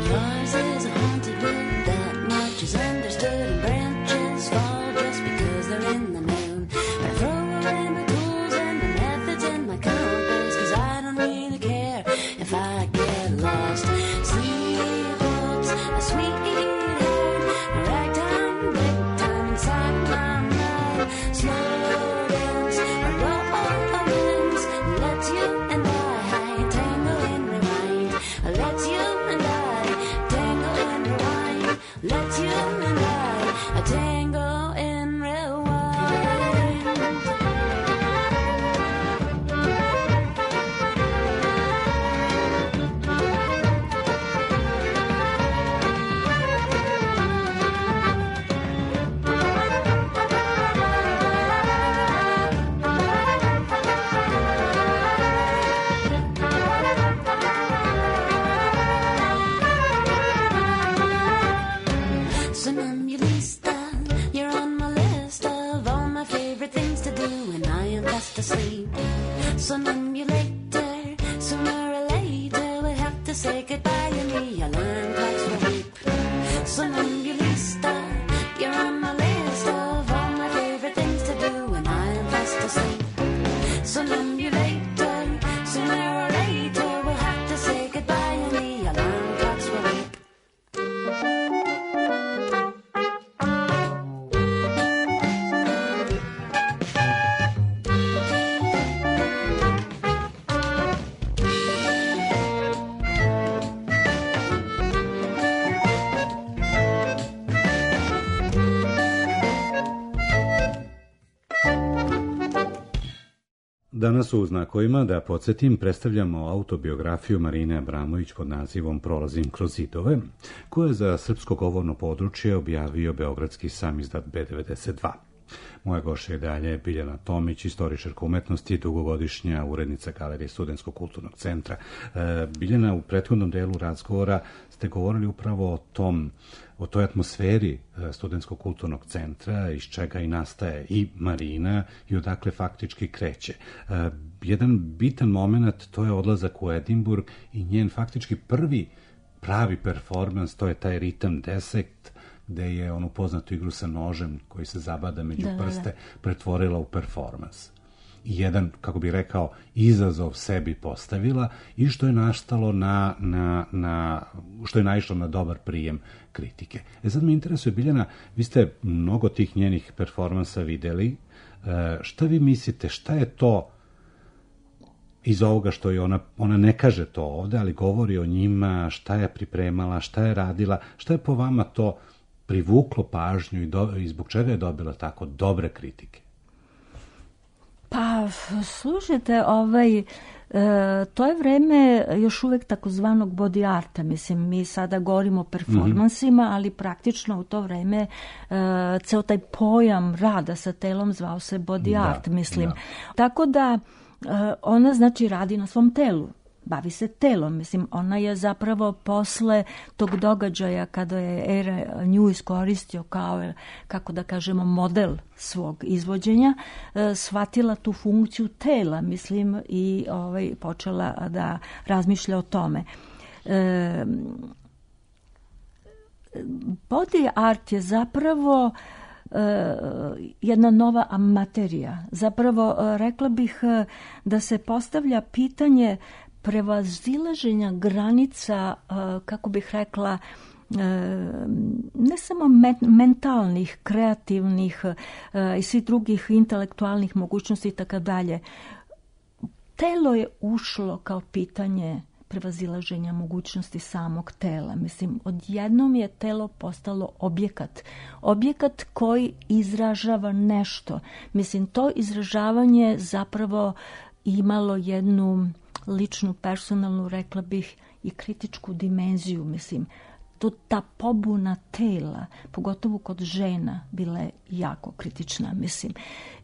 [SPEAKER 13] Yours is a haunted world, that much is understood, and branches fall just because they're in the moon. But I throw away my tools and my methods and my compass, 'cause I don't really care if I get lost. Sleep waltz, a sweetheart, a ragtime, big time inside my mind. Slow dance, a romance, let's you and I tango and rewind. Let's you and I tango and rewind. Let's you and I tango and rewind. Somnambulista, you're on my list of all my favorite things to do when I am fast asleep. Somnambulator, sooner or later we'll have to say goodbye to me. Alarm clocks will beep. Somnambulista, you're on my list of all my favorite things to do when I am fast asleep. Somnambulator, sooner or later we'll have to say goodbye to me. Alarm clocks will beep.
[SPEAKER 1] Danas u Znakovima, da podsjetim, predstavljamo autobiografiju Marine Abramović pod nazivom Prolazim kroz zidove, koje je za srpsko govorno područje objavio beogradski samizdat be devedeset dva. Moja gošća je dalje Biljana Tomić, istoričarka umetnosti, dugogodišnja urednica Galerije Studentskog kulturnog centra. E, Biljana, u prethodnom delu razgovora ste govorili upravo o tom, o toj atmosferi Studentskog kulturnog centra, iz čega i nastaje i Marina i odakle faktički kreće. E, jedan bitan moment, to je odlazak u Edinburg i njen faktički prvi pravi performans, to je taj ritam desekt, gde je onu poznatu igru sa nožem koji se zabada među da, prste, da, da. pretvorila u performans. I jedan, kako bih rekao, izazov sebi postavila i što je nastalo na, na, na, što je naišlo na dobar prijem kritike. E sad me interesuje, Biljana, vi ste mnogo tih njenih performansa videli. E, šta vi mislite, šta je to iz ovoga što je ona, ona ne kaže to ovde, ali govori o njima, šta je pripremala, šta je radila, šta je po vama to privuklo pažnju i, do, i zbog čega je dobila tako dobre kritike?
[SPEAKER 12] Pa, slušajte, ovaj, e, to je vreme još uvek takozvanog body arta. Mislim, mi sada govorimo o performansima, mm-hmm. ali praktično u to vreme e, ceo taj pojam rada sa telom zvao se body da, art, mislim. Da. Tako da e, ona, znači, radi na svom telu. Bavi se telom, mislim, ona je zapravo posle tog događaja kada je Era nju iskoristio kao, kako da kažemo, model svog izvođenja, e, shvatila tu funkciju tela, mislim, i ovaj, počela da razmišlja o tome. E, body art je zapravo e, jedna nova materija. Zapravo, e, rekla bih e, da se postavlja pitanje prevazilaženja granica, kako bih rekla, ne samo mentalnih, kreativnih i svih drugih intelektualnih mogućnosti i tako dalje. Telo je ušlo kao pitanje prevazilaženja mogućnosti samog tela. Mislim, odjednom je telo postalo objekat. Objekat koji izražava nešto. Mislim, to izražavanje zapravo imalo jednu ličnu, personalnu, rekla bih, i kritičku dimenziju, mislim. To, ta pobuna tela, pogotovo kod žena, bila je jako kritična, mislim.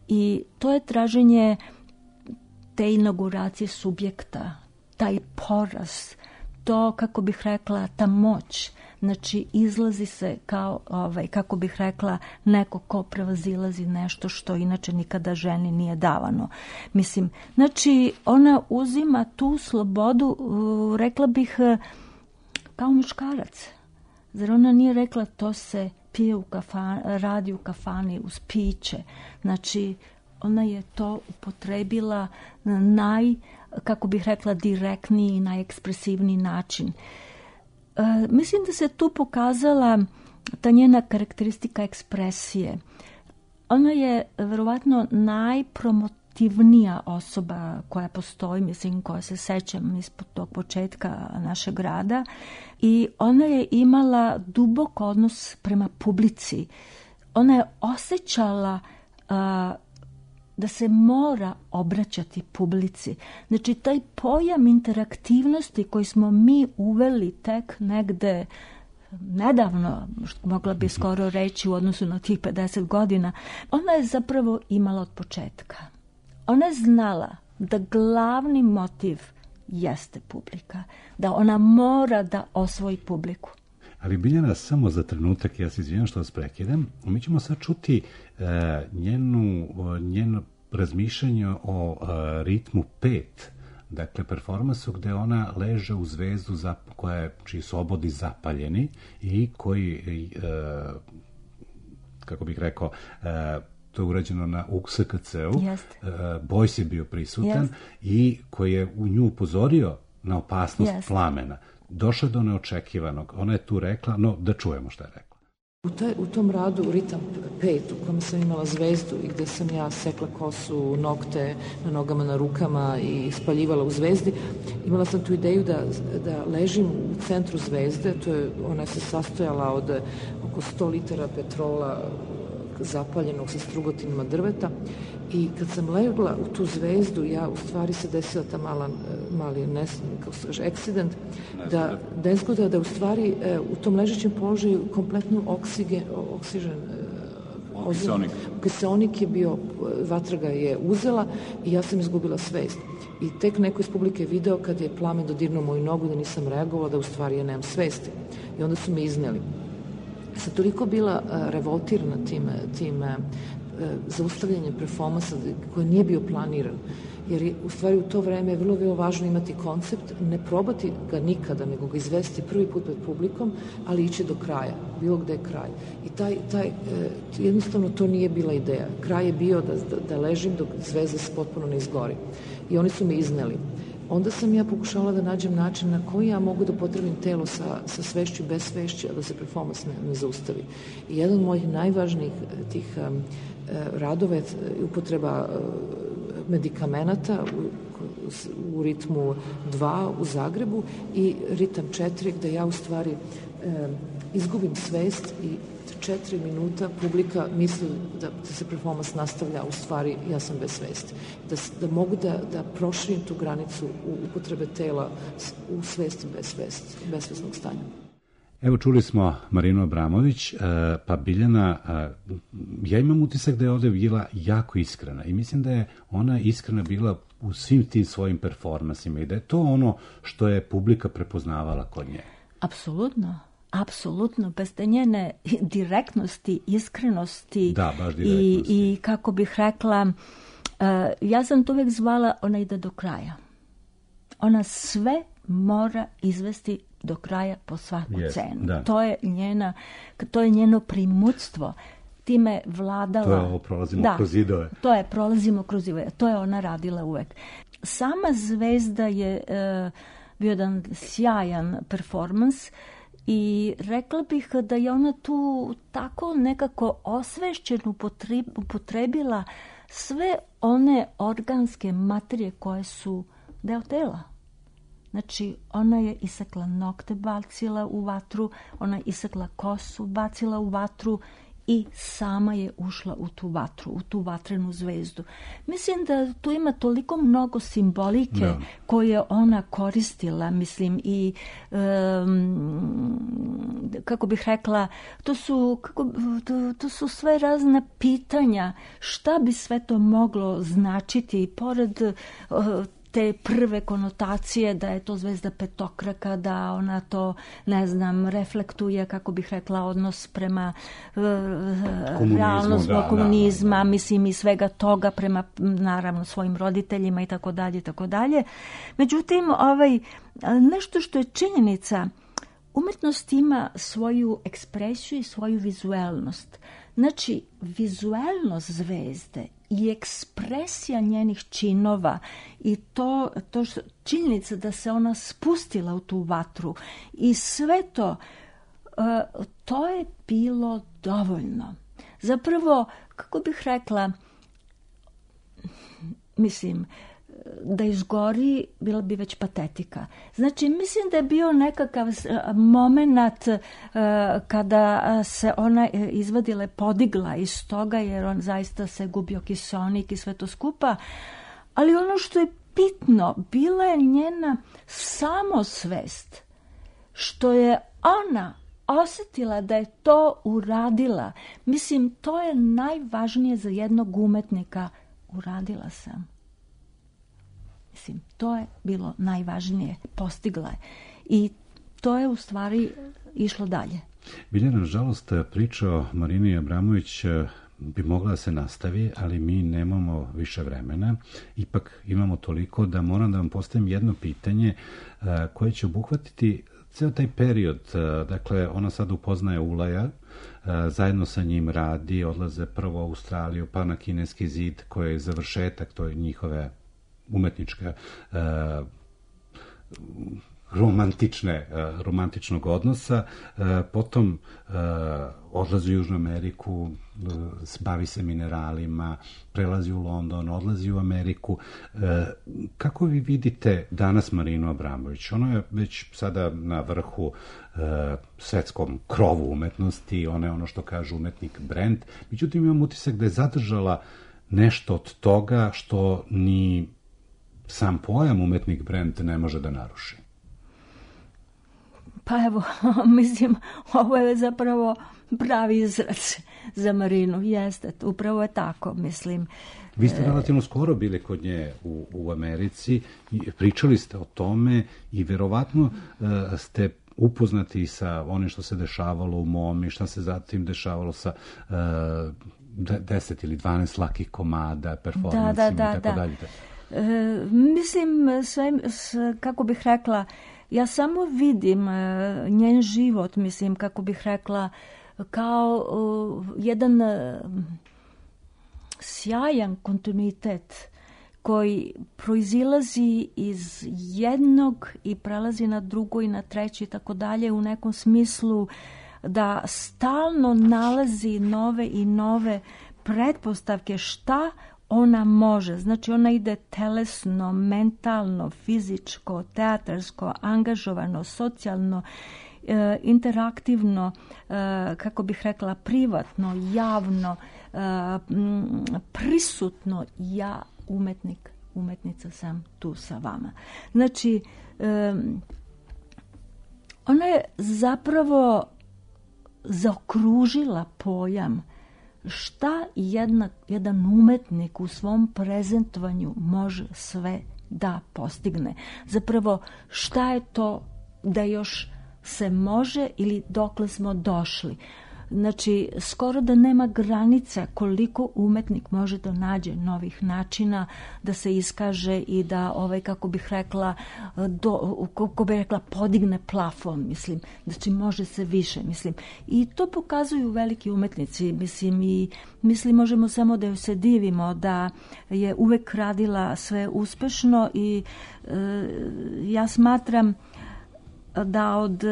[SPEAKER 12] I to je traženje te inauguracije subjekta, taj poraz, to, kako bih rekla, ta moć. Znači, izlazi se kao, ovaj, kako bih rekla, neko ko prevazilazi nešto što inače nikada ženi nije davano. Mislim, znači, ona uzima tu slobodu, rekla bih, kao muškarac. Zar ona nije rekla to se pije u kafani, radi u kafani uz piće. Znači, ona je to upotrebila na naj, kako bih rekla, direktniji i najekspresivniji način. Uh, mislim da se tu pokazala ta njena karakteristika ekspresije. Ona je verovatno najpromotivnija osoba koja postoji, mislim, koja se sećam ispod tog početka našeg rada, i ona je imala dubok odnos prema publici. Ona je osjećala uh, da se mora obraćati publici. Znači, taj pojam interaktivnosti koji smo mi uveli tek negde nedavno, što mogla bi skoro reći u odnosu na tih pedeset godina, ona je zapravo imala od početka. Ona je znala da glavni motiv jeste publika, da ona mora da osvoji publiku.
[SPEAKER 1] Ali Biljana, samo za trenutak, ja se izvinjam što vas prekidam, mi ćemo sad čuti uh, njenu, uh, njeno razmišljanje o uh, ritmu pet, dakle performansu gde ona leže u zvezdu za, koja je, čiji su obodi zapaljeni i koji, uh, kako bih rekao, uh, to je urađeno na U S K C-u, uh, Bojs je bio prisutan Jest. I koji je u nju upozorio na opasnost Jest. Plamena. Došlo do neočekivanog. Ona je tu rekla, no da čujemo šta je rekla.
[SPEAKER 9] U, taj, u tom radu, u ritam pet, u kojem sam imala zvezdu i gde sam ja sekla kosu, nokte na nogama, na rukama i spaljivala u zvezdi, imala sam tu ideju da, da ležim u centru zvezde. To je, ona se sastojala od oko sto litara petrola zapaljenog sa strugotinima drveta. I kad sam legla u tu zvezdu, ja u stvari se desila ta mala, mali nes, kako se kaže, accident, da, nezgoda, da u stvari u tom ležećem položaju kompletno oksigen, oksižen,
[SPEAKER 14] Kiseonik.
[SPEAKER 9] Kiseonik je bio, vatra ga je uzela i ja sam izgubila svest. I tek neko iz publike video kad je plamen dodirnuo moju nogu da nisam reagovala, da u stvari ja nemam svesti. I onda su me izneli. Sam toliko bila uh, revoltirana tim, tim uh, zaustavljanjem performansa koji nije bio planiran. Jer je, u stvari u to vreme je vrlo, vrlo važno imati koncept, ne probati ga nikada, nego ga izvesti prvi put pred publikom, ali ići do kraja, bilo gde je kraj. I taj, taj, e, jednostavno to nije bila ideja. Kraj je bio da, da, da ležim dok zvezda se potpuno ne izgori. I oni su me izneli. Onda sam ja pokušala da nađem način na koji ja mogu da potrebim telo sa, sa svešću i bez svešće, a da se performans ne, ne zaustavi. I jedan od mojih najvažnijih tih um, radova je upotreba uh, medikamenata u, u ritmu dva u Zagrebu i ritam četiri gde ja u stvari um, izgubim svest i četiri minuta publika misli da se performans nastavlja, u stvari ja sam bez svesti. Da, da mogu da, da proširim tu granicu u upotrebe tela u svesti bez svesti, besvesnog stanja.
[SPEAKER 1] Evo čuli smo Marinu Abramović, pa Biljana, ja imam utisak da je ovde bila jako iskrena i mislim da je ona iskrena bila u svim tim svojim performansima i da je to ono što je publika prepoznavala kod nje.
[SPEAKER 12] Apsolutno. Apsolutno, bez te njene direktnosti, iskrenosti
[SPEAKER 1] da, baš direktnosti.
[SPEAKER 12] I, i kako bih rekla, uh, ja sam to uvijek zvala, ona ide do kraja. Ona sve mora izvesti do kraja po svaku
[SPEAKER 1] yes,
[SPEAKER 12] cenu.
[SPEAKER 1] Da.
[SPEAKER 12] To je njena, to je njeno primutstvo. Time vladala...
[SPEAKER 1] To je ovo, prolazimo
[SPEAKER 12] da,
[SPEAKER 1] kroz zidove.
[SPEAKER 12] To je, prolazimo kroz zidove. To je ona radila uvek. Sama zvezda je uh, bio jedan sjajan performans. I rekla bih da je ona tu tako nekako osvešćeno upotrebila sve one organske materije koje su deo tela. Znači, ona je isekla nokte, bacila u vatru, ona je isekla kosu, bacila u vatru i sama je ušla u tu vatru, u tu vatrenu zvezdu. Mislim da tu ima toliko mnogo simbolike da. Koje ona koristila, mislim, i um, kako bih rekla, to su, kako, to, to su sve razna pitanja, šta bi sve to moglo značiti, pored uh, te prve konotacije da je to zvezda petokraka, da ona to, ne znam, reflektuje, kako bih rekla, odnos prema uh, realnost
[SPEAKER 1] da,
[SPEAKER 12] komunizma,
[SPEAKER 1] da, da.
[SPEAKER 12] mislim i svega toga prema, naravno, svojim roditeljima i tako dalje, i tako dalje. Međutim, ovaj, nešto što je činjenica, umetnost ima svoju ekspresiju i svoju vizuelnost. Znači, vizuelnost zvezde i ekspresija njenih činova i to, to što, činjenica da se ona spustila u tu vatru i sve to, uh, to je bilo dovoljno. Zapravo, kako bih rekla, mislim, da izgori, bila bi već patetika. Znači, mislim da je bio nekakav moment uh, kada se ona izvadila, podigla iz toga, jer on zaista se gubio kiseonik i sve to skupa. Ali ono što je bitno, bila je njena samosvest, što je ona osjetila da je to uradila. Mislim, to je najvažnije za jednog umetnika. Uradila sam. Mislim, to je bilo najvažnije, postigla je. I to je u stvari išlo dalje.
[SPEAKER 1] Biljana, nažalost, priča o Marini Abramović bi mogla da se nastavi, ali mi nemamo više vremena. Ipak imamo toliko da moram da vam postavim jedno pitanje koje će obuhvatiti ceo taj period. Dakle, ona sad upoznaje Ulaja, zajedno sa njim radi, odlaze prvo u Australiju, pa na Kineski zid, koji je završetak, to je njihove umetnička uh, romantične, romantičnog odnosa, potom odlazi u Južnu Ameriku, bavi se mineralima, prelazi u London, odlazi u Ameriku. Kako vi vidite danas Marinu Abramović? Ona je već sada na vrhu svetskom krovu umetnosti, ona je ono što kaže umetnik brend, međutim imam utisak da je zadržala nešto od toga što ni sam pojam umetnik brend ne može da naruši.
[SPEAKER 12] Pa evo, mislim, ovo je zapravo pravi izraz za Marinu, jeste, upravo je tako, mislim.
[SPEAKER 1] Vi ste relativno skoro bili kod nje u, u Americi, pričali ste o tome i verovatno uh, ste upoznati sa onim što se dešavalo u Momi, šta se zatim dešavalo sa uh, deset ili dvanaest lakih komada, performansima
[SPEAKER 12] da, da, da,
[SPEAKER 1] i tako
[SPEAKER 12] da.
[SPEAKER 1] dalje.
[SPEAKER 12] E, mislim, sve, kako bih rekla, ja samo vidim uh, njen život, mislim, kako bih rekla, kao uh, jedan uh, sjajan kontinuitet koji proizilazi iz jednog i prelazi na drugo i na treći i tako dalje, u nekom smislu da stalno nalazi nove i nove pretpostavke šta ona može. Znači ona ide telesno, mentalno, fizičko, teatarsko, angažovano, socijalno, e, interaktivno, e, kako bih rekla, privatno, javno, e, m, prisutno. Ja, umetnik, umetnica sam tu sa vama. Znači, e, ona je zapravo zaokružila pojam šta jedna, jedan umetnik u svom prezentovanju može sve da postigne. Zapravo, šta je to da još se može ili dokle smo došli. Znači, skoro da nema granica koliko umetnik može da nađe novih načina da se iskaže i da, ovaj, kako bih rekla, do, kako bih rekla, podigne plafon, mislim. Znači, može se više, mislim. I to pokazuju veliki umetnici, mislim, i mislim, možemo samo da joj se divimo, da je uvek radila sve uspešno i e, ja smatram da od,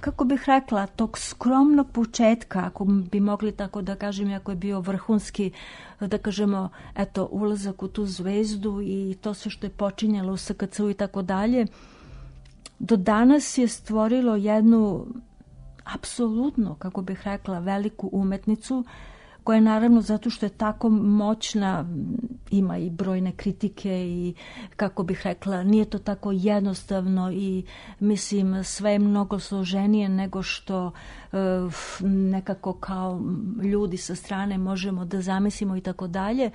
[SPEAKER 12] kako bih rekla, tog skromnog početka, ako bi mogli tako da kažem, ako je bio vrhunski, da kažemo, eto, ulazak u tu zvezdu i to sve što je počinjalo u S K C-u i tako dalje, do danas je stvorilo jednu apsolutno, kako bih rekla, veliku umetnicu, koja je naravno zato što je tako moćna, ima i brojne kritike i, kako bih rekla, nije to tako jednostavno i mislim sve je mnogo složenije nego što uh, nekako kao ljudi sa strane možemo da zamislimo i tako dalje,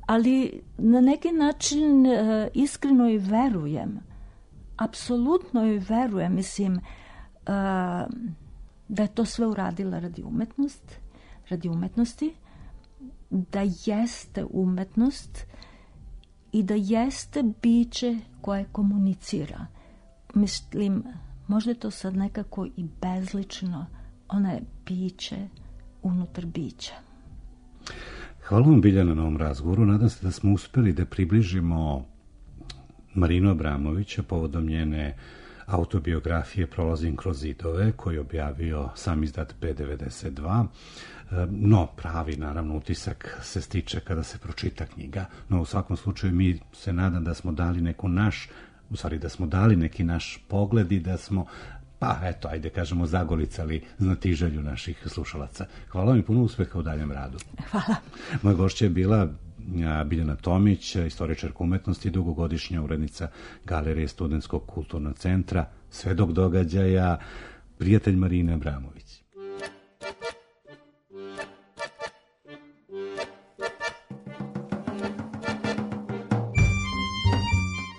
[SPEAKER 12] ali na neki način uh, iskreno i verujem, apsolutno i verujem, mislim uh, da je to sve uradila radi umetnosti, radi umetnosti, da jeste umetnost i da jeste biće koje komunicira. Mislim, možda je to sad nekako i bezlično, ona je biće unutar bića.
[SPEAKER 1] Hvala vam, Biljana, na ovom razgovoru. Nadam se da smo uspeli da približimo Marinu Abramovića povodom njene autobiografije Prolazim kroz zidove, koju je objavio sam izdat B devedeset dva. No, pravi, naravno, utisak se stiče kada se pročita knjiga, no u svakom slučaju mi se nadam da smo dali neku naš, u stvari da smo dali neki naš pogled i da smo, pa eto, ajde kažemo, zagolicali znatiželju naših slušalaca. Hvala vam i puno uspeha u daljem radu.
[SPEAKER 12] Hvala.
[SPEAKER 1] Moja gošća je bila Biljana Tomić, istoričarka umetnosti, dugogodišnja urednica Galerije Studentskog kulturnog centra, svedok događaja, prijatelj Marine Abramović.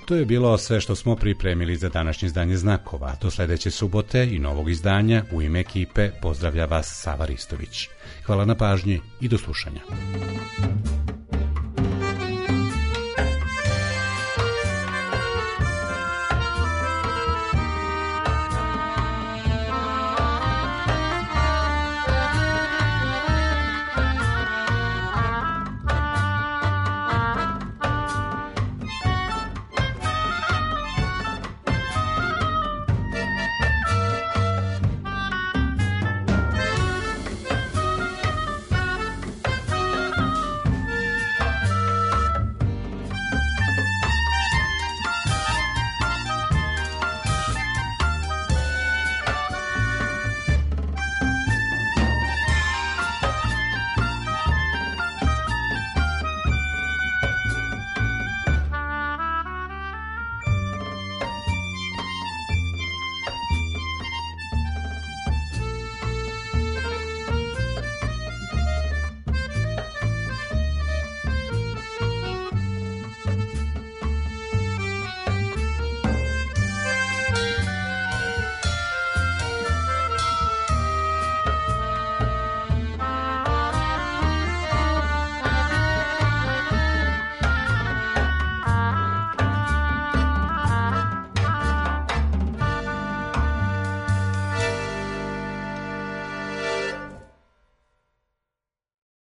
[SPEAKER 1] To je bilo sve što smo pripremili za današnje izdanje Znakova. Do sledeće subote i novog izdanja u ime ekipe pozdravlja vas Sava Ristović. Hvala na pažnji i do slušanja.